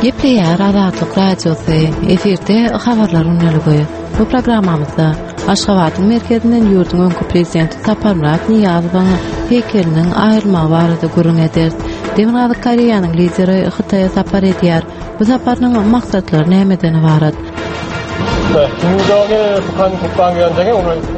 Gepleýär Azatlyk Radiosy, efirde habarlar gündeligi. Bu programmamyzda Aşgabadyň merkezinden ýurduň öňki prezidenti Saparmyrat Nyýazowyň heýkeliniň aýrylmagy barada gürrüň ederis. Demirgazyk Koreýanyň lideri Hytaýa sapar edýär. Bu saparynyň maksatlary nämeden ybarat?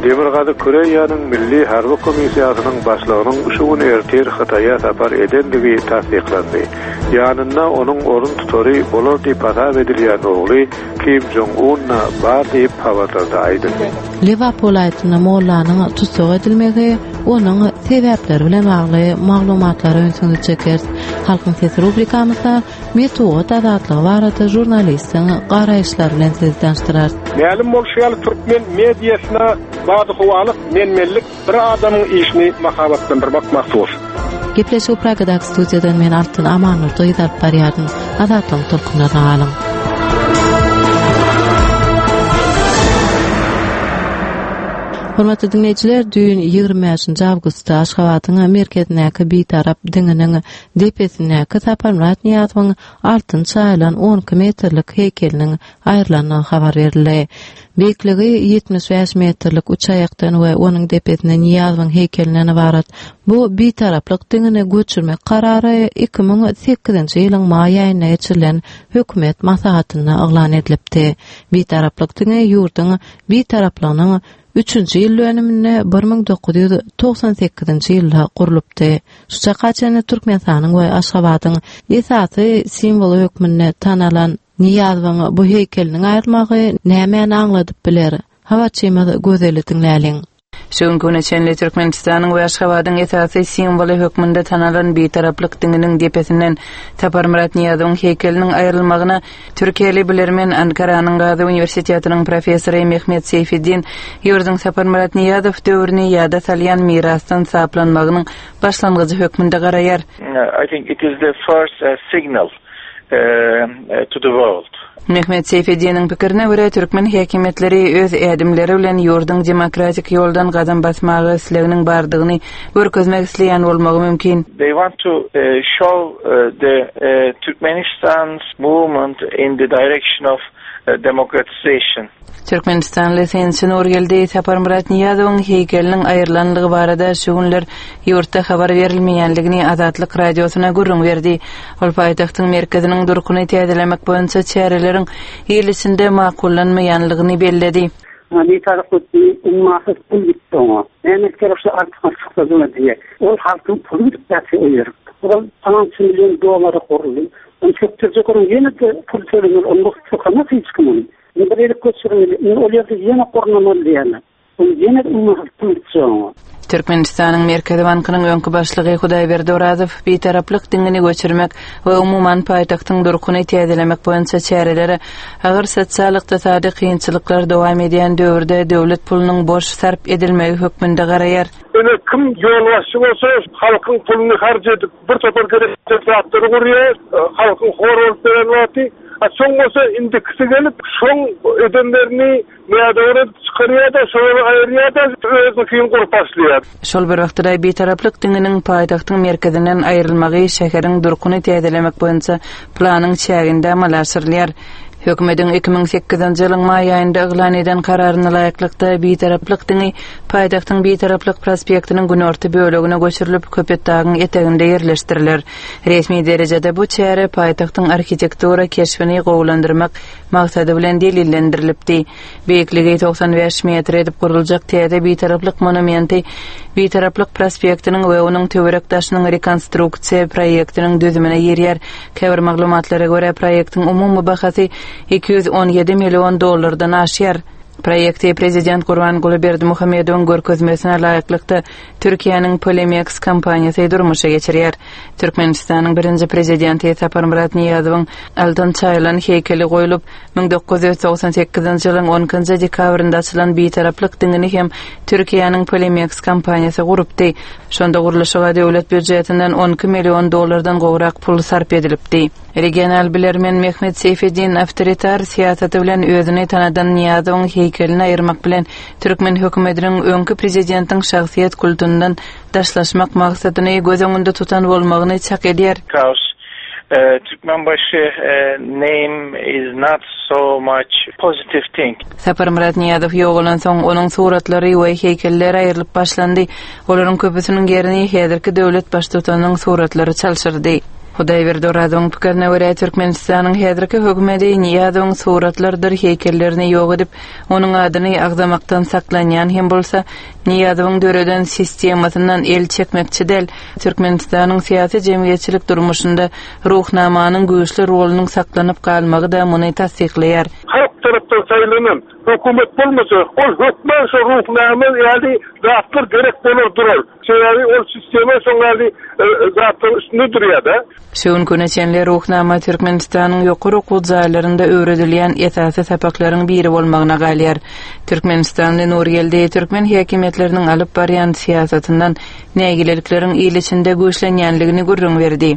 Demirgazyk Koreýanyň Milli harby komissiýasynyň başlygynyň şu gün ertir Hytaýa sapar edendigi tassyklandy. Ýanynda onuň orun tutary bolar diýip hasap edilýän ogly Kim Jong Un-da bar diýip, habarlarda aýdyldy. Lebap welaýatynda mollanyň tussag edilmegi, onuň sebäpleri bilen bagly maglumatlara ünsüňizi çekeris. Halkyň sesi rubrikamyzda metbugat azatlygy barada žurnalistiň garaýyşlary bilen sizi tanyşdyrarys. Mälim bolşy ýaly, türkmen mediasyna badyhowalyk, men-menlik bir adamyň işini mahabatlandyrmak mahsus. Gepleşigi Pragadaky studiýadan men Altyn Amannurdy gyz alyp barýardym. Azatlygyň tolkunlaryna galyň. Hormatly diňleýjiler, düýn 25-nji awgustda Aşgabadyň merkezindäki Bitarap diňiniň depesindäki Saparmyrat Nyýazowyň altyn çaýylan 12 metrlik heýkeliniň aýrylandygy habar berildi. Beýikligi 75 metrlik üç aýakdan we onuň depesinde Nyýazowyň heýkelinden ybarat bu Bitaraplyk diňini göçürmek karary 2008-nji ýylyň maý aýynda geçirilen hökümet maslahatynda yglan edilipdi. Bitaraplyk diňi ýurduň Bitaraplygynyň üçünji ýyl dönüminde 1998-nji ýylda gurlupdy. Şu çaka çenli Türkmenistanyň we Aşgabadyň esasy simwoly hökmünde tanalan Nyýazowyň bu heýkeliniň aýrylmagy nämäni aňladyp biler? Habarçymyz Gözeli diňläliň. Şu günki güne çenli Türkmenistanyň we Aşgabadyň esasy simwoly hökmünde tanalan Bitaraplyk diňiniň depesinden Saparmyrat Nyýazowyň heýkeliniň aýrylmagyna türkiýeli bilermen, Ankaranyň Gazy uniwersitetiniň professory Mehmet Seýfeddin ýurduň Saparmyrat Nyýazow döwrüni ýada salýan mirasdan saplanmagynyň başlangyjy hökmünde garaýar. I think it is the first signal to the world. Mehmet Seýfeddiniň pikirine görä, türkmen häkimiýetleri öz ädimleri bilen ýurduň demokratik ýoldan gadam basmaga isleginiň bardygyny görkezmek isleýän bolmagy mümkin. They want to show the Turkmenistan's movement in the direction of democratization. Türkmenistanly synçy Nurgeldi Saparmyrat Nyýazowyň heýkeliniň aýrylanlygy barada şu günler ýurtda habar berilmeýänligini Azatlyk Radiosyna gürrüň berdi. Ol paýtagtyň merkeziniň durkuny täzelemek boýunça çäreleriň il içinde makullanmaýanlygyny belledi. Bitaraplyk diýip ummasyz pul gitdi oňa. Näme gerek şu artykmaç çykdajyna diýe. Ol halkyň puly gidip ýatyr o ýerik. Ozal pylança million dollara guruldy. Ony sökdürjek onuň ýene-de pul tölemeli. Ony sökemez hiç kim ony. Indi bir elip göçürmeli, indi ol ýerde ýene gurnamaly diýýärler. Indi ýene ummasyz pul gitjek oňa. Türkmenistanyň Merkezi bankynyň öňki başlygy Hudaýberdi Orazow Bitaraplyk diňini göçürmek we umuman paýtagtyň durkuny täzelemek boýunça çärelere agyr sosial-ykdysady kynçylyklar dowam edýän döwürde döwlet pulunyň boş sarp edilmegi hökmünde garaýar. Ine kim ýolbaşçy bolsa halkyň puluny harç edip bir topar gereksiz zatlary gurýar, halkyň hor bolup beren wagty, a soň bolsa indikisi gelip şoň edenlerini nädogry edip çykarýar-da, şolary aýyrýar-da özüniňkini gurup başlaýar. Şol bir wagtda-da Bitaraplyk diňiniň paýtagtyň merkezinden aýrylmagy şäheriň durkuny täzelemek boýunça planyň çäginde amala aşyrylýar. Hökümetiň 2008-nji ýylyň maý aýynda yglan eden kararyna laýyklykda, Bitaraplyk diňi paýtagtyň Bitaraplyk prospektiniň günorta bölegine göçürilip, Köpetdagyň eteginde ýerleşdiriler. Resmi derejede bu çäre paýtagtyň arhitektura keşbini gowulandyrmak maksady bilen delillendirilipdi. Beýikligi 95 metr edip guruljak täze Bitaraplyk monumenti Bitaraplyk prospektiniň we onuň töwerek-daşynyň rekonstruksiýa proýektiniň düzümine girýär. Käbir maglumatlara görä, proýektiň umumy bahasy 217 million dollardan aşýar. Proýekti prezident Gurbanguly Berdimuhamedowyň görkezmesine laýyklykda Türkiýäniň Polimeks kompaniýasy durmuşa geçirýär. Türkmenistanyň birinji prezidenti Saparmyrat Nyýazowyň altyn çaýylan heýkeli goýlup, 1998-nji ýylyň on ikinji dekabrynda açylan Bitaraplyk diňini hem Türkiýäniň Polimeks kompaniýasy gurupdy. Şonda gurluşyga döwlet býujetinden 12 million dollardan gowrak pul sarp edilipdi. Regional bilermen Mehmet Seýfeddin awtoritar syýasaty bilen özüni tanadan Nyýazowyň heýkelini aýyrmak bilen türkmen hökümetiniň öňki prezidentiň şahsyýet kultundan daşlaşmak maksadyny göz öňünde tutan bolmagyny çak edýär. Because Türkmenbaşy name is not so much positive thing. Saparmyrat Nyýazow ýogalansoň, onuň suratlary we heýkelleri aýrylyp başlandy. Olaryň köpüsiniň ýerini häzirki döwlet Baştutanynyň suratlary çalşyrdy. Hudaýberdi Orazowyň pikirine görä, Türkmenistanyň häzirki hökümeti Nyýazowyň suratlarydyr heýkellerini ýok edip, onuň adyny agzamakdan saklanýan hem bolsa, Nyýazowyň döreden sistemasyndan el çekmekçi däl, Türkmenistanyň syýasy-jemgyýetçilik durmuşynda Ruhnamanyň güýçli rolunyň saklanyp galmagy-da muny tassyklaýar. Halk tarapdan saýlanan hökümet bolmasa, ol hökman şo Ruhnama ýaly zatlar gerek bolar durar. Sebäbi ol sistema şoň ýaly zatlaryň üstünde durýar-da. Şu günki güne çenli Ruhnama Türkmenistanyň ýokary okuw jaýlarynda öwredilýän esasy sapaklaryň biri bolmagyna galýar. Türkmenistanly Nurgeldi türkmen häkimiýetleriniň alyp barýan syýasatyndan nägilelikleriň il içinde güýçlenýänligini gürrüň berdi.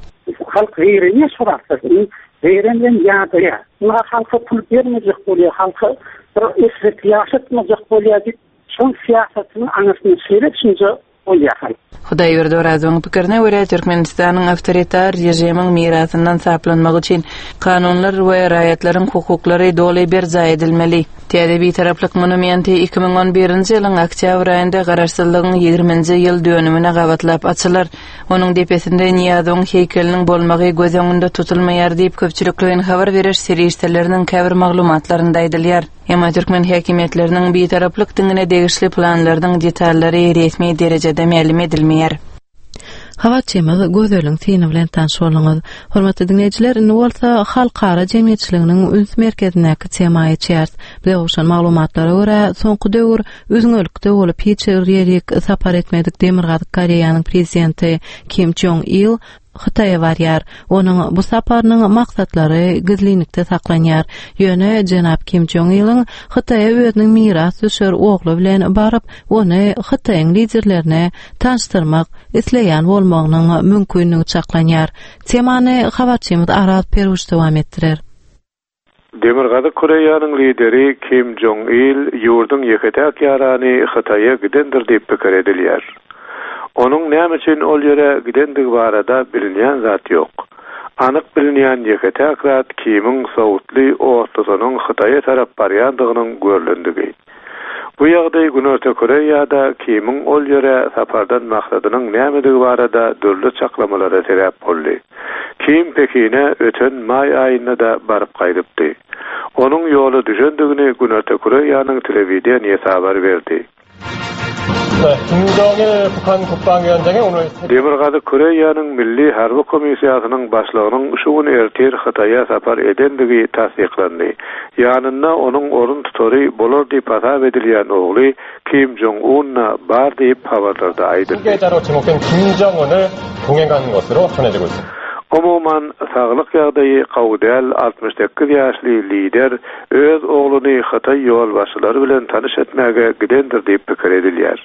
Halk zeýrenýär şu zatlardan. Zeýrenlen ýadaýar. Muňa halka pul bermejek bolýar, halka bir eşretli ýaşatmajak bolýar diýip, şol syýasatynyň aňyrsynda şeýle düşünje goýýar halk. Hudaýberdi Orazowyň pikirine görä, Türkmenistanyň awtoritar režimiň mirasyndan saplanmagy üçin kanunlar we raýatlaryň hukuklary doly berjaý edilmeli. Täze Bitaraplyk monumenti 2011-nji ýylyň oktýabr aýynda Garaşsyzlygyň ýigriminji ýyl dönümine gabatlap açylar. Onuň depesinde Nyýazowyň heýkeliniň bolmagy göz öňünde tutulmaýar diýip, köpçülikleýin habar beriş serişdeleriniň käbir maglumatlarynda aýdylýar. Emma türkmen häkimiýetleriniň Bitaraplyk diňine degişli planlarynyň detallary resmi derejede mälim edilmeýär. Habarçymyz Gözeliň syny bilen tanyş bolduňyz. Hormatly diňleýjiler, indi bolsa halkara jemgyýetçiliginiň üns merkezindäki tema geçýäris. Bize gowşan maglumatlara görä, soňky döwür üzňelikde bolup hiç bir ýerik sapar etmedik Demirgazyk Koreýanyň prezidenti Kim Jong Il Hytaýa barýar. Onuň bu saparynyň maksatlary gizlinlikde saklanýar. Ýöne jenap Kim Jong Iliň Hytaýa özüniň mirasdüşer ogly bilen baryp, ony Hytaýyň liderlerine tanyşdyrmak isleýän bolmagynyň mümkinligi çaklanýar. Temany habarçymyz Araz Peruş dowam etdirer. Demirgazyk Koreýanyň lideri Kim Jong Il ýurduň ýeke-täk ýarany Hytaýa gidendir diýip pikir edilýär. Onuň näme üçin ol ýere gidendigi barada bilinýän zat ýok. Anyk bilinýän ýeke-täk zat Kimiň sowutly otlusynyň Hytaýa tarap barýandygynyň görlendigi. Bu ýagdaý Günorta Koreýada Kimiň ol ýere sapardan maksadynyň nämedigi barada dürli çaklamalara sebäp boldy. Kim Pekine öten maý aýynda-da baryp gaýdypdy. Onuň ýola düşendigini Günorta Koreýanyň telewideniýesi habar berdi. Demirgazyk Koreýanyň Milli harby komissiýasynyň başlygynyň şu gün ertir Hytaýa sapar edendigi tassyklandy. Ýanynda onuň orun tutary bolar diýip hasap edilýän ogly Kim Jong Un-da bar diýip, habarlarda aýdyldy. Umuman, saglyk ýagdaýy gowy däl 68 ýaşly lider öz ogluny hytaý ýolbaşçylary bilen tanyş etmäge gidendir diýip pikir edilýär.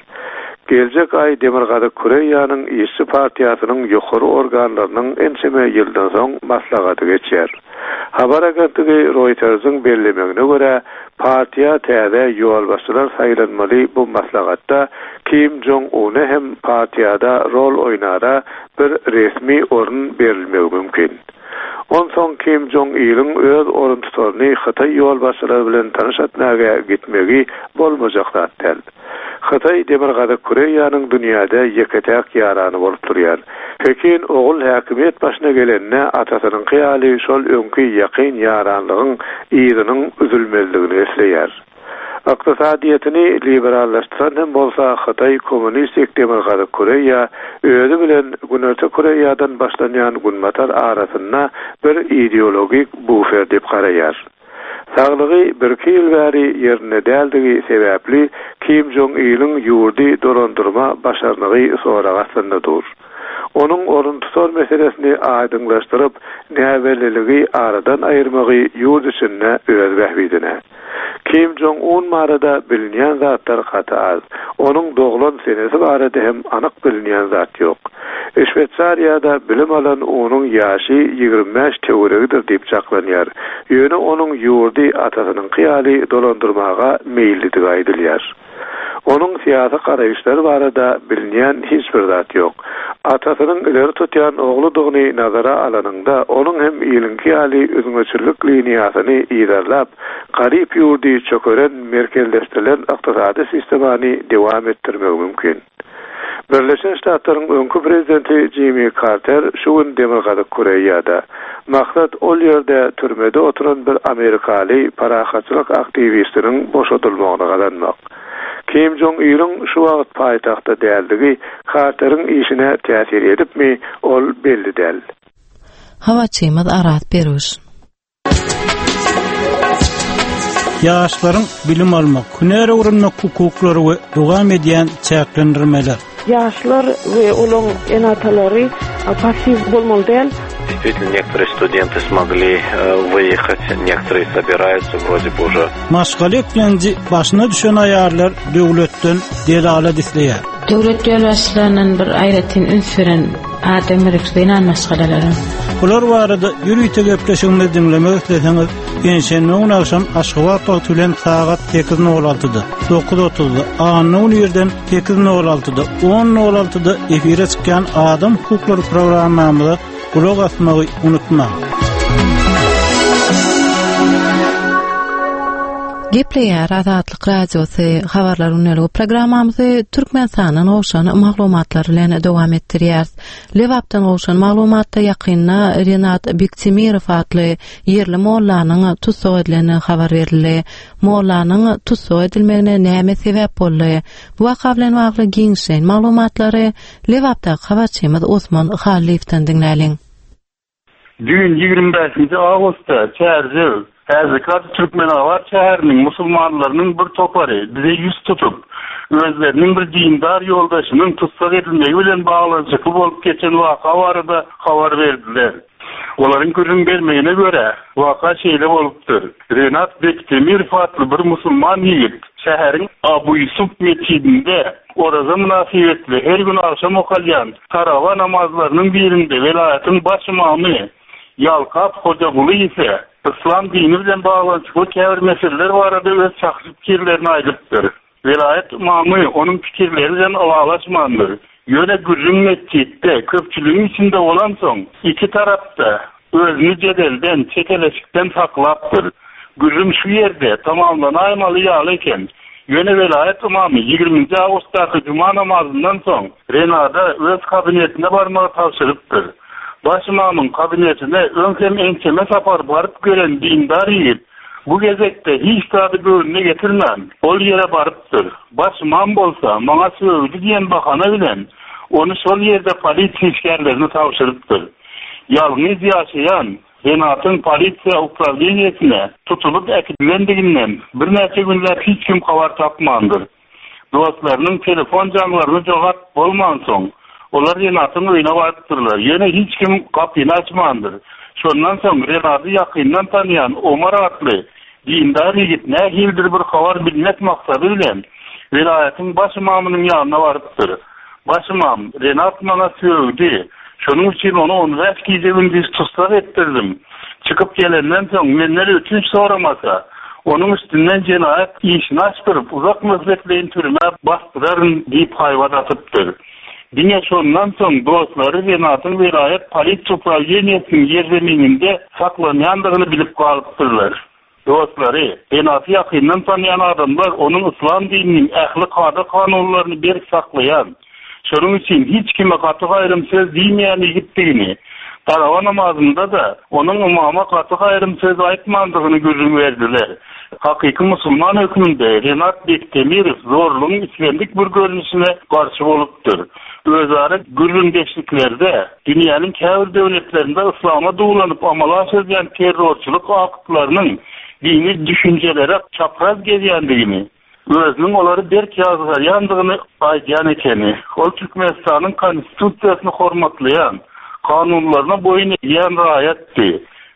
Geljek aý Demirgazyk Koreýanyň Işçi partiýasynyň ýokary organlarynyň ençeme ýyldan soň maslahaty geçýär. Habar agentligi Reuters-iň bellemegine görä, partiýa täze ýolbaşçylar saýlanmaly bu maslahatda Kim Jong Una hem partiýada rol oýnara bir resmi orun berilmegi mümkin. Onsoň Kim Jong Iliň öz oruntutaryny hytaý ýolbaşçylary bilen tanyş etmäge gitmegi bolmajak zat däl. Hytaý Demirgazyk Koreýanyň dünýäde ýeke-täk ýarany bolup durýar. Pekin ogul häkimiýet başyna gelende atasynyňky ýaly şol öňki ýakyn ýaranlygyň yzynyň üzülmezligini isleýär. Ykdysadyýetini liberallaşdyran hem bolsa Hytaý kommunistik Demirgazyk Koreýa özi bilen Günorta Koreýadan başlanýan Günbatar arasynda bir ideologik bufer diýip garaýar. Saglygy birki ýyl bäri ýerinde däldigi sebäpli Kim Jong Iliň ýurdy dolandyrma başarnygy sorag astynda dur. Onuň oruntutar meselesini aýdyňlaşdyryp, näbelliligi aradan aýyrmagy ýurt içinde öz bähbidine. Kim Jong Un barada bilinýän zatlar gaty az. Onuň doglan senesi barada hem anyk bilinýän zat ýok. Şweýsariýada bilim alan Unuň ýaşy 25 töweregidir diýip çaklanýar. Ýöne onuň ýurdy atasynyňky ýaly dolandyrmaga meýillidigi aýdylýar. Onuň syýasy garaýyşlary barada bilinýän hiç bir zat ýok. Atasynyň ileri tutýan ogludygyny nazara alanyňda, onuň hem iliňki ýaly üzňeçillik liniýasyny yzarlap, garyp ýurdy çökeren merkezleşdirilen ykdysady sistemany dewam etdirmegi mümkin. Birleşen Ştatlaryň öňki prezidenti Jimmi Karter şu gün Demirgazyk Koreýada. Maksat ol ýerde türmede oturan bir amerikaly parahatçylyk aktiwistiniň boşadylmagyny gazanmak. Kim Jong Iliň şu wagt paýtagtda däldigi Karteriň işine täsir edipmi, ol belli däl. Habarçymyz Araz Peruş. Ýaşlaryň bilim almak, hünär öwrenmek hukuklary we dowam edýän çäklendirmeler. Ýaşlar we olaň ene-atalary passiw bolmaly däl. Действительно, некоторые студенты смогли выехать, некоторые собираются вроде бы уже. Maşgala eklenji başyna düşen aýallar döwletden delalat isleýär. Döwlet ýolbaşçylaryndan bir aýratyn üns beren adam gerek zenan maşgalalara. Bular barada ýörite gepleşigimizi diňlemek isleseňiz, penşenbe güni agşam Aşgabat wagty bilen sagat 8:06-da, 9:30-da, anna güni irden 8:06-da, 10:06-da efire çykýan Adam hukuklary programmamyza gulak asmagy unutmaň. Gepleýär Azatlyk Radiosy habarlar gündeligi programmamyzy Türkmenistandan gowşan maglumatlar bilen dowam etdirýäris. Lebapdan gowşan maglumatda ýakynda Renat Bektemirow atly ýerli mollanyň tussag edilendigi habar berildi. Mollanyň tussag edilmegine näme sebäp boldy? Bu waka bilen bagly giňişleýin maglumatlary Lebapdaky habarçymyz Osman Hallyýewden diňläliň. Düýn, 25 nji awgustda Çärjew, häzirki ady Türkmenabat şäheriniň musulmanlarynyň bir topary bize ýüz tutup, özleriniň bir dindar ýoldaşynyň tussag edilmegi bilen baglanyşykly bolup geçen waka barada habar berdiler. Olaryň gürrüň bermegine görä, waka şeýle bolupdyr, Renat Bektemirow atly bir musulman ýigit şäheriň Abu Ýusup metjidinde Oraza mynasybetli her gün agşam okalýan tarawa namazlarynyň birinde welaýatyň baş ymamy Ýalkap Hojagulyýewe yslam dini bilen baglanyşykly käbir meseleler barada öz şahsy pikirlerini aýdypdyr. Welaýat ymamy onuň pikirleri bilen ylalaşmandyr. Ýöne gürrüň metjitde, köpçüligiň içinde bolansoň, iki tarap-da özüni jedelden, çekeleşikden saklapdyr. Gürrüň şu ýerde tamamlanaýmaly ýaly eken. Ýöne welaýat ymamy ýigriminji awgustdaky juma namazyndan soň Renada öz kabinetine barmagy tabşyrypdyr. Baş ymamyň kabinetine öň hem ençeme sapar baryp gören dindar ýigit Bu gezekde hiç zady göwnüne getirmän, ol ýere barypdyr. Baş ymam bolsa, maňa sögdi diýen bahana bilen, ony şol ýerde polisiýa işgärlerine tabşyrypdyr. Ýalňyz ýaşaýan Renatyň polisiýa uprawleniýesine tutulyp äkidilendiginden birnäçe günläp hiç kim habar tapmandyr. Dostlarynyň telefon jaňlaryna jogap bolmansoň, olar Renatyň öýüne barypdyrlar. Ýöne hiç kim gapyny açmandyr. Şondan soň Renady ýakyndan tanýan Omar atly dindar ýigit nähilidir bir habar bilmek maksady bilen welaýatyň baş ymamynyň ýanyna barypdyr. Baş ymam, Renat maňa sögdi. Şonuň üçin ony on bäş gije-gündiz tussag etdirdim. Çykyp gelenden soň menden ötünç soramasa, onuň üstünden jenaýat işini açdyryp, uzak möhletleýin türmä basdyraryn diýip haýbat atypdyr. Diňe şondan soň dostlary Renatyň welaýat polisiýa uprawleniýesiniň ýerzemininde saklanýandygyny bilip galypdyrlar. Dostlary, Renaty ýakyndan tanýan adamlar onuň yslam dininiň ähli kada-kanunlaryny berk saklaýan, şonuň üçin hiç kime gaty-gaýrym söz diýmeýän ýigitdigini, tarawa namazynda-da onuň ymama gaty-gaýrym söz aýtmandygyny gürrüň berdiler. Hakyky musulman hökmünde Renat Bektemirow zorlugyň islendik bir görnüşine garşy bolupdyr. Özara gürrüňdeşliklerde dünýäniň käbir döwletlerinde yslama duwlanyp amala aşyrylýan terrorçylyk aktlarynyň dini düşünjelere çapraz gelýändigini, özüniň olary berk ýazgarýandygyny aýdýan ekeni. Ol Türkmenistanyň Konstitusiýasyny hormatlaýan, kanunlaryna boýun egýän raýatdy.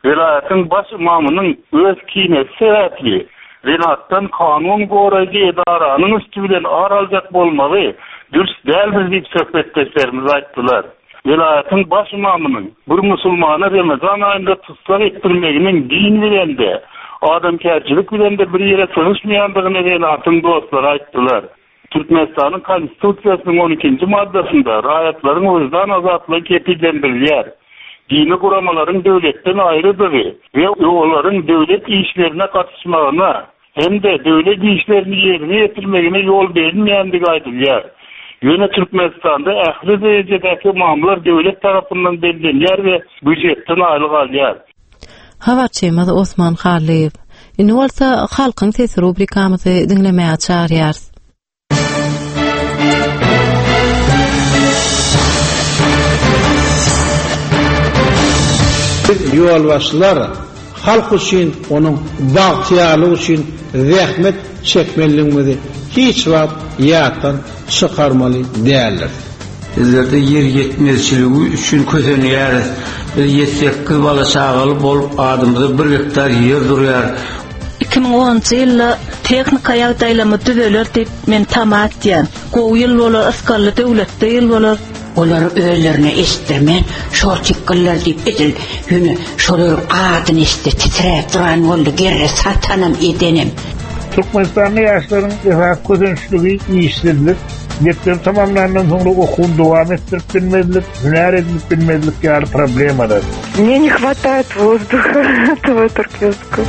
Welaýatyň baş ymamynyň öz kinesi sebäpli Renatdan kanun goraýjy edaranyň üsti bilen ar aljak bolmagy dürs däldir diýip söhbetdeşlerimiz aýtdylar. Welaýatyň baş ymamynyň bir musulmana Remezan aýynda tussag etdirmeginiň din bilen-de, adamkärçilik bilen-de bir ýere sygyşmaýandygyny Renatyň dostlary aýtdylar. Türkmenistanyň Konstitusiýasynyň on ikinji maddasynda raýatlaryň wyždan azatlygy kepillendirilýär. Dini guramalaryň döwletden aýrydygy we olaryň döwlet işlerine gatyşmagyna hem-de döwlet işlerini ýerine ýetirmegine ýol berilmeýändigi aýdylýar. Ýöne Türkmenistanda ähli derejedäki ymamlar döwlet tarapyndan bellenýär we býujetden aýlyk alýar. Habarçymyz Osman Hallyýew. Indi bolsa Halkyň sesi rubrikamyzy diňlemäge çagyrýarys. Biz ýolbaşçylar halk üçin, onuň bagtyýarlygy üçin zähmet çekmelidigimizi hiç wagt ýatdan çykarmaly däldiris. Bizlerde ýer ýetmezçiligi üçin kösenýäris. Biz ýedi-sekiz bala-çagaly bolup, adymyza bir gektar ýer durýar. 2010-njy ýylda tehnika ýagdaýlarymyz düzeler diýip men tama etýän. Gowy ýyl bolar, ysgally döwletli ýyl bolar. Olary özlerine eşitdirmän, şortikgyllar diýip edil ýöne şolaryň adyny eşitse titräp duran boldy gerre satanam edenem. Türkmenistanda ýaşlaryň esasy kösençligi işsizlik, mekdebi tamamlandan soňra okuwyny dowam etdirip bilmezlik, hünär edinip bilmezlik ýaly problemalar. Мне не хватает воздуха этого туркменского.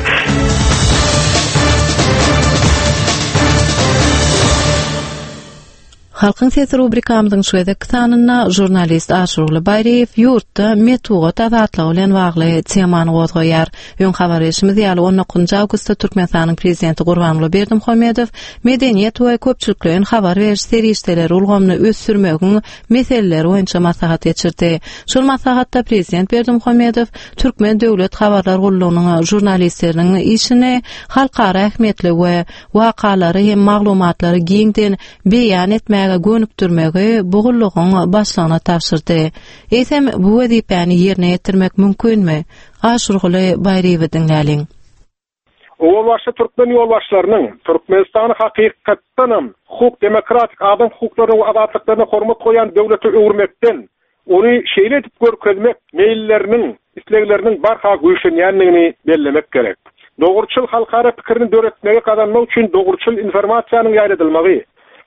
Halkyň sesi rubrikamyzyň şu gezekki sanynda žurnalist Aşyrguly Baýryýew ýurtda metbugat azatlygy bilen bagly temany gozgaýar. Öň habar berşimiz ýaly, on dokuzynjy awgustda Türkmenistanyň Prezidenti Gurbanguly Berdimuhamedow medeniýet we köpçülikleýin habar beriş serişdeleri ulgamyny ösdürmegiň meseleleri boýunça maslahat geçirdi. Şol maslahatda Prezident Berdimuhamedow Türkmen döwlet habarlar gullugynyň žurnalistleriniň işini halkara ähmiýetli we wakalary hem maglumatlary giňden beýan etmäge gönükdirmegi bu gullugyň başlygyna tabşyrdy. Eýsem, bu wezipäni ýerine ýetirmek mümkinmi? Aşyrguly Baýryýewi diňläliň. Owal başda türkmen ýolbaşçylarynyň Türkmenistany hakykatdanam hukuk, demokratik, adam hukuklaryna we azatlyklaryna hormat goýýan döwlete öwürmekden Ony şeýle edip görkezmek meýilleriniň, islegleriniň barha güýçlenýändigini bellemek gerek. Dogruçyl halkara pikirini döretmegi gazanmak üçin dogruçyl informasiýanyň ýaýradylmagy,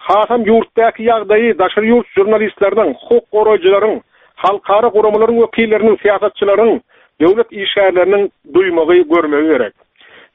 hasam ýurtdaky ýagdaýy daşary ýurt žurnalistleriniň, hukuk goraýjylaryň, halkara guramalaryň wekilleriniň, syýasatçylaryň, döwlet işgärleriniň duýmagy, görmegi gerek.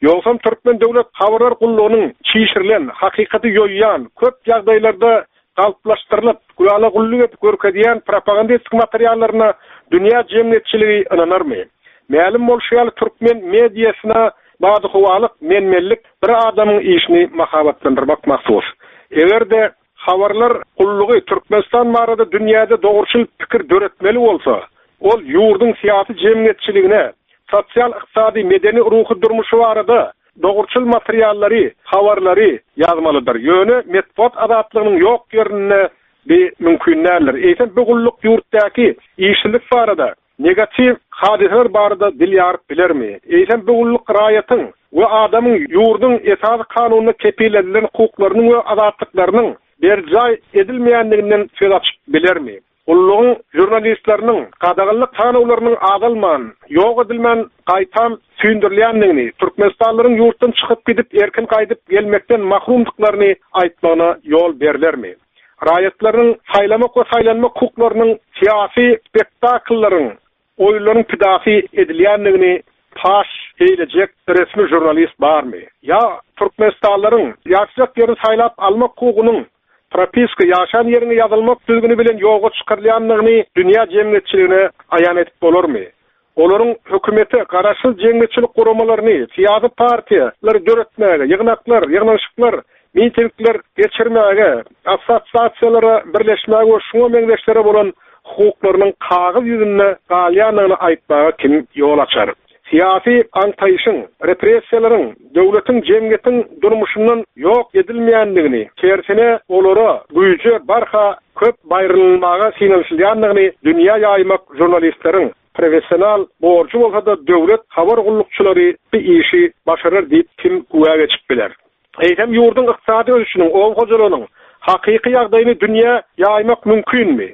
Ýogsam türkmen döwlet habarlar gullugynyň çişirilen, hakykaty ýoýýan, köp ýagdaýlarda galplaşdyrylyp, gülala gulluk edip görkezýän propagandistik materiallaryna dünýä jemgyýetçiligi ynanarmy? Mälim bolşy ýaly türkmen mediasyna badyhowalyk, men-menlik bir adamyň işini mahabatlandyrmak mahsus. Eger-de habarlar gullugy Türkmenistan barada dünýäde dogruçyl pikir döretmeli bolsa, ol ýurduň syýasy-jemgyýetçiligine, sosial-ykdysady, medeni-ruhy durmuşy barada Dogruçyl materiallary, habarlary ýazmalydyr. Ýöne metbugat azatlygynyň ýok ýerinde bi mümkin däldir. Eýsem bu gulluk ýurtdaky işsizlik barada, negatiw hadysalar barada dil ýaryp bilermi? Eýsem bu gulluk raýatyň we adamyň ýurduň Esasy Kanunynda kepillenilen hukuklarynyň we azatlyklarynyň berjaý edilmeýändiginden söz açyp bilermi? Gullugyň žurnalistleriniň gadaganlyk sanawlarynyň azalman, ýok edilmän, gaýtam süýndürilýändigini, türkmenistanlylaryň ýurtdan çykyp gidip erkin gaýdyp gelmekden mahrumdyklaryny aýtmagyna ýol berlermi? Raýatlaryň saýlamak we saýlanmak hukuklarynyň syýasy spektakllaryň oýunlaryň pidasy edilýändigini paş eýlejek resmi žurnalist barmy? Ýa türkmenistanlylaryň ýaşajak ýerini saýlap almak hukugynyň propiska, ýaşan ýeriňe ýazylmak düzgüni bilen ýoga çykarylýandygyny dünýä jemgyýetçiligine aýan edip bolarmy? Olaryň hökümete, garaşsyz jemgyýetçilik guramalaryny, syýasy partiýalary döretmäge, ýygnaklar, ýygnanyşyklar, mitingler geçirmäge, assosiasiýalara birleşmäge we şuňa meňzeşlere bolan hukuklarynyň kagyz ýüzünde galýandygyny aýtmaga kim ýol açar? Syýasy aňtaýşyň, repressiýalaryň döwletiň, jemgyýetiň durmuşyndan ýok edilmeýändigini, tersine olara, güýje barha köp baýrylmaga synanyşylýandygyny dünýä ýaýmak žurnalistleriň professional borjy bolsa-da döwlet habar gullukçylary bu işi başarar diýip kim güwä geçip biler? Eýsem ýurduň ykdysady ösüşiniň, oba hojalygynyň hakyky ýagdaýyny dünýä ýaýmak mümkinmi?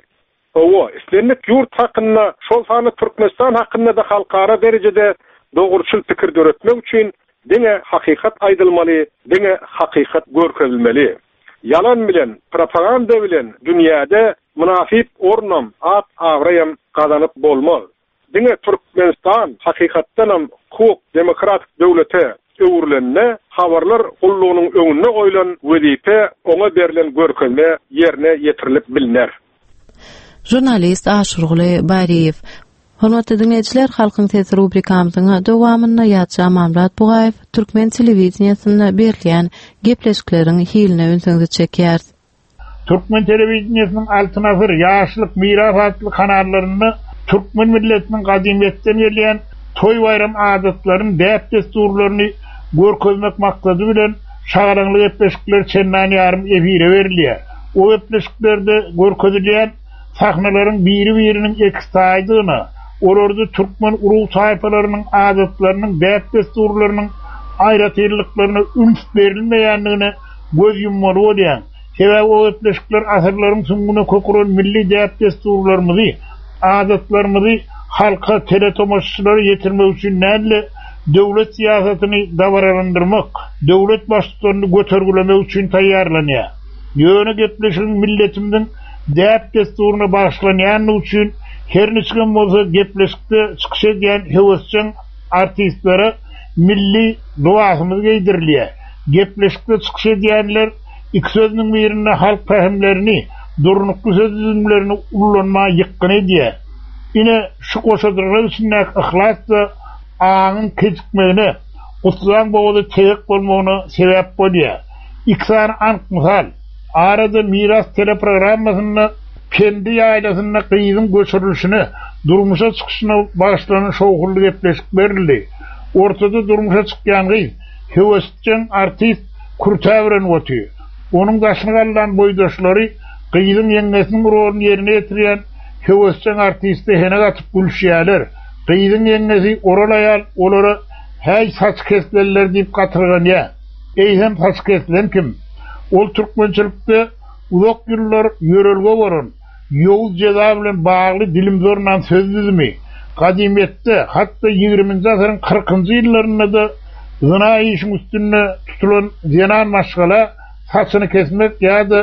Hawa, islendik ýurt hakynda, şol sanda Türkmenistan hakynda-da halkara derejede dogruçyl pikir döretmek üçin diňe hakykat aýdylmaly, diňe hakykat görkezilmeli. Ýalan bilen, propaganda bilen dünýäde mynasyp ornam, at-abraýam gazanyp bolmaz. Diňe Türkmenistan hakykatdanam hukuk, demokratik döwlete öwrülende habarlar gullugynyň öňünde goýlan wezipe, oňa berlen görkezme ýerine ýetirilip bilner. Žurnalist Aşyrguly Baryýew. Hormatly diňleýjiler, Halkyň sesi rubrikamyzyň dowamynda ýazjy Amanmyrat Bugaýew türkmen telewideniýesinde berilýän gepleşikleriň hiline ünsüňizi çekýäris. Türkmen telewideniýesiniň Altyn asyr, Ýaşlyk, Miras atly kanallarynda türkmen milletiniň gadymyýetden gelýän toý-baýram adatlaryny, däp-dessurlaryny görkezmek maksady bilen şagalaňly gepleşikler çendan ýarym efire berilýär. O gepleşiklerde görkezilýän sahnalaryň biri-biriniň ekiztaýydygyna, olarda türkmen urug-taýpalarynyň adatlarynyň, däp-dessurlarynyň aýratynlyklaryna üns berilmeýändigine göz ýummaly bolýaň. Sebäbi o gepleşikler asyrlaryň süňňüne kök uran milli däp-dessurlarymyzy, adatlarymyzy halka, teletomaşaçylara ýetirmek üçin däl-de, döwlet syýasatyny dabaralandyrmak, döwlet baştutanyny götergilemek üçin taýýarlanýar. Ýöne gepleşigiň milletimiziň däp-dessuryna bagyşlanýandygy üçin her niçigem bolsa gepleşikde çykyş edýän höwesjeň artistlere milli lybasymyz geýdirilýär. Gepleşikde çykyş edýänler iki sözüniň birinde halk pähimlerini, durnukly söz düzümlerini ullanmaga ýykgyn edýär. Ine, şu goşadyrnak içindäki yhlas-da aňyň kejikmegine, gutlaň bogazy tegek bolmagyna sebäp bolýar. Iki sany anyk mysal. Arada Miras teleprogrammasynda Pendi ýaýlasynda gyzyň göçürilişine, durmuşa çykyşyna bagyşlanan şowhunly gepleşik berildi. Ortada durmuşa çykýan gyz, Höwesjeň artist kürtä bürenip otyr. Onuň daşyny gallan boýdaşlary gyzyň ýeňňesiniň roluny ýerine ýetirýän höwesjeň artiste henek atyp gülüşýärler. Gyzyň ýeňňesi oral aýal olara Häý, saç kesilenler diýip gatyrganýar. Eýsem, saç kesilen kim? Ol türkmençilikde uzak ýyllar ýörelge bolan, ýowuz jeza bilen bagly dilimzornan söz düzümi, gadymyýetde, hat-da ýigriminji asyryň kyrkynjy ýyllarynda-da zyna işiň üstünde tutulan zenan maşgala saçyny kesmek ýa-da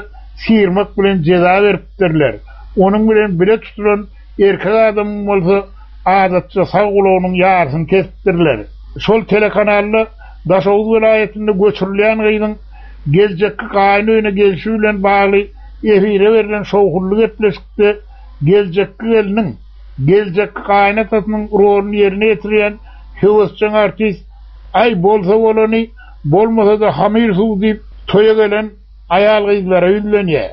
syrmak bilen jeza beripdirler. Onuň bilen bile tutulan erkek adamyň bolsa adatça sag gulagynyň ýarysyny kesipdirler. Şol telekanalda Daşoguz welaýatynda göçürilýän gyzyň geljekki gaýyn öýüne gelşi bilen bagly efire berlen şowhunly gepleşikde geljekki gelniň geljekki gaýynatasynyň roluny ýerine ýetirýän höwesjeň artist Aý, bolsa bolany, bolmasa-da hamyr suw diýip, toýa gelen aýal-gyzlara ýüzlenýär.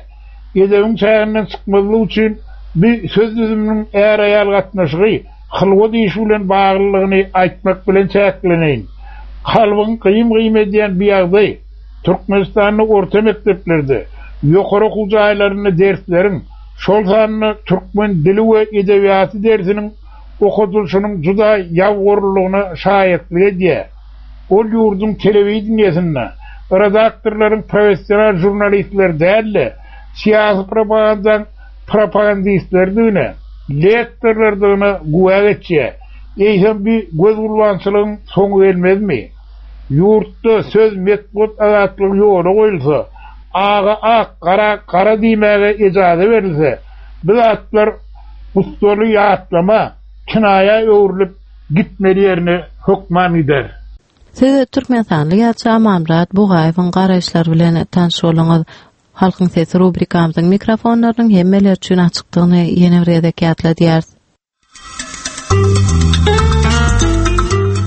Edebiň çäginden çykmazlyk üçin bu söz düzüminiň är-aýal gatnaşygy, hylwat işi bilen baglylygyny aýtmak bilen çäkleneýin. Kalbyňy gyýym-gyýym edýän bu ýagdaý Türkmenistanda orta mekdeplerde, ýokary okuw jaýlarynda dersleriň, şol sanda türkmen dili we edebiýaty dersiniň okadylyşynyň juda ýabygorlulygyna şaýatlyk edýär. Ol ýurduň telewideniýesinde redaktorlaryň professional žurnalistler däl-de, syýasy propagandaň propagandistleridigine, lektorlardygyna güwä geçýär. Eýsem bi gözgulbançylygyň soňy gelmezmi? Ýurtda söz, metbugat azatlygy ýola goýulsa, aga ak, gara gara diýmäge ejaza berilse, bu zatlar gussaly ýatlama, kinaýa öwrülip gitmeli ýerine hökman gider. Siz türkmenistanly ýazyjy Amanmyrat Bugaýewiň garaýyşlary bilen tanyş bolduňyz. Halkyň sesi rubrikamyzyň mikrofonlarynyň hemmeler üçin açykdygyny ýene bir gezek ýatladýarys.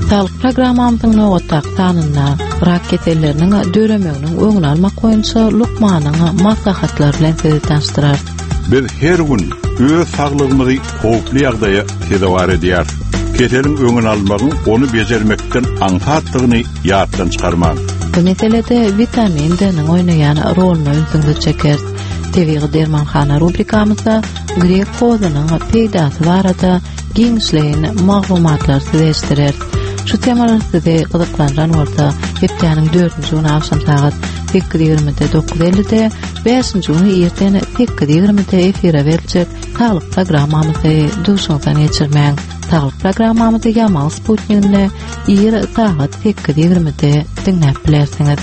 Saglyk programmamyzyň nobatdaky sanynda rak keselleriniň döremeginiň öňüni almak boýunça lukmanyň maslahatlary bilen sizi tanyşdyrarys. Biz her gün öz saglygymyzy howply ýagdaýa sezewar edýäris. Keseliň öňüni almagyň ony bejermekden aňsatdygyny ýatdan çykarmaň. Bu meselede witamin D-niň oýnaýan roluna ünsüňizi çekeris. Tebigy dermanhana rubrikamyzda grek hozunyň peýdasy barada giňişleýin maglumatlary size eşitdireris. Şu temalar sizi gyzyklandyran bolsa, hepdäniň dördünji güni agşam sagat. 8.20-de 9.50-de, bäşinji güni irden 8.20-de efire beriljek Saglyk programmamyzy duşuňyzdan geçirmäň. Saglyk programmamyzy Ýamal sputniginde ir sagat 8.20-de diňläp bilersiňiz.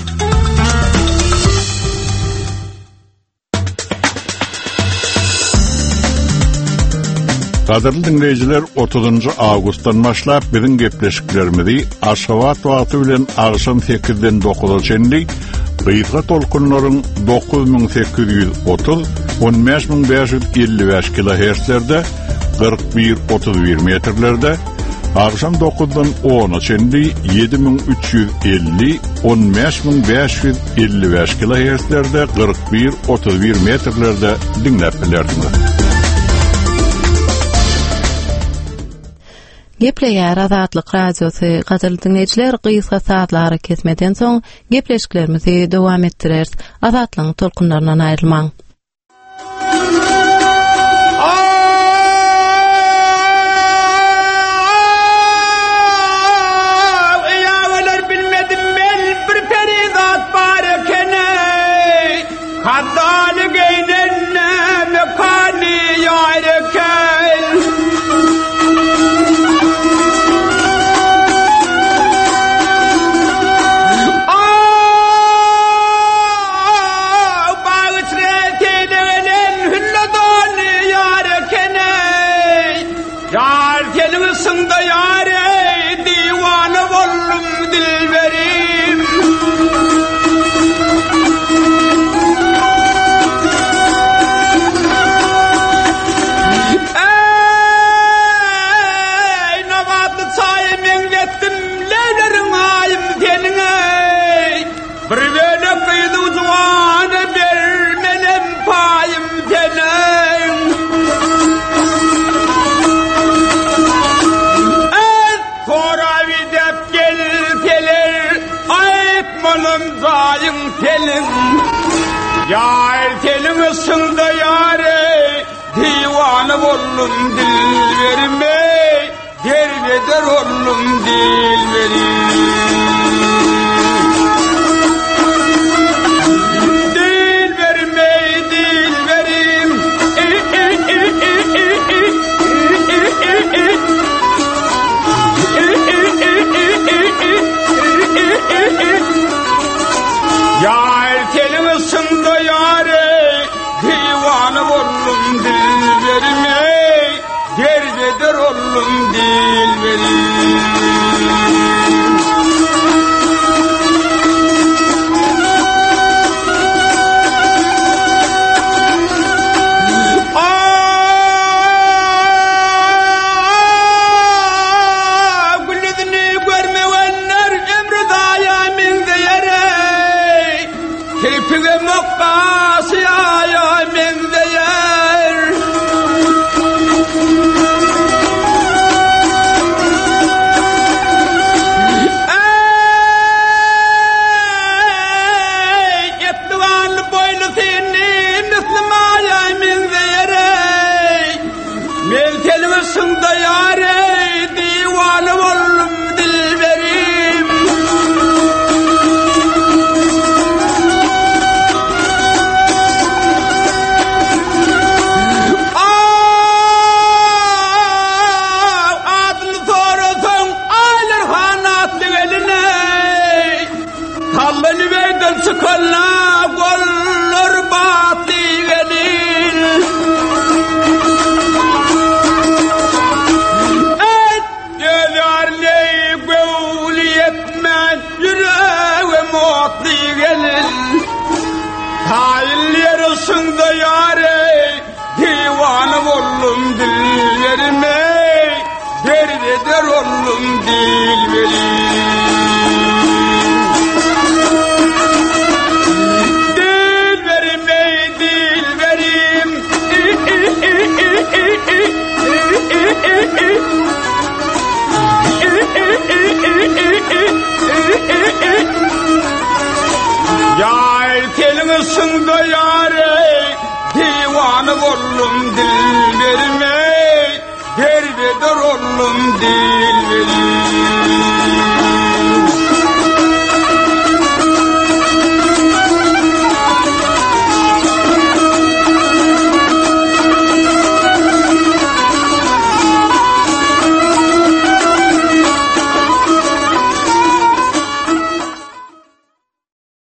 Gadyrly diňleýjiler, 30-njy awgustdan başlap biziň gepleşiklerimizi Aşgabat wagty bilen agşam 8-den 9-a çenli gysga tolkunlaryň 9830, 15555 kilohertzlerde, 4131 metrlerde, agşam 9-dan 10-a çenli 7350, 15500 55 kilohertzlerde 41 31 metrlerde diňläp bilersiňiz. Gepleýär Azatlyk Radiosy, gadyrly diňleýjiler, gysga sazly arakesmeden soň gepleşiklerimizi dowam etdireris. Azatlygyň tolkunlaryndan aýrylmaň. Bir bölek gyzy juwana bermenem paýym seniň. Ez sorap idep gelseler, aýtmanym jaýyň seniň. Ýar seniň yşyňda ýar eý, diwana boldum dilberim eý. Derbeder oldum dilberim. Dilberim ey dilberim. Yar senin ışığında yar ey, divanı oldum dilberim ey. Derbeder oldum dilberim. Aa, gül yüzünü görmeyenler ömrü zaýa meňzeýär ey. Kirpigem okgasy aýa meňzeýär. Eý, etli ganly boýly seni misli maýa meňzeýär eý. Men seniň yşyňda ýar eý, diwana boldum dilberim. Aw, adyny sorasaň, Aýlar han atly gelin eý. Tally nübeýden çykanda gollar batly gelin. Eý, öz ýaryny göwni ýetmän ýüregim otly gelin. Taýyl ýerişiňde ýar eý, diwana boldum dilberim eý, derbeder oldum dilberim. Dilberim ey dilberim. Ýar seniň yşyňda ýar ey, diwana boldum dilberim ey, derbeder oldum dilberim.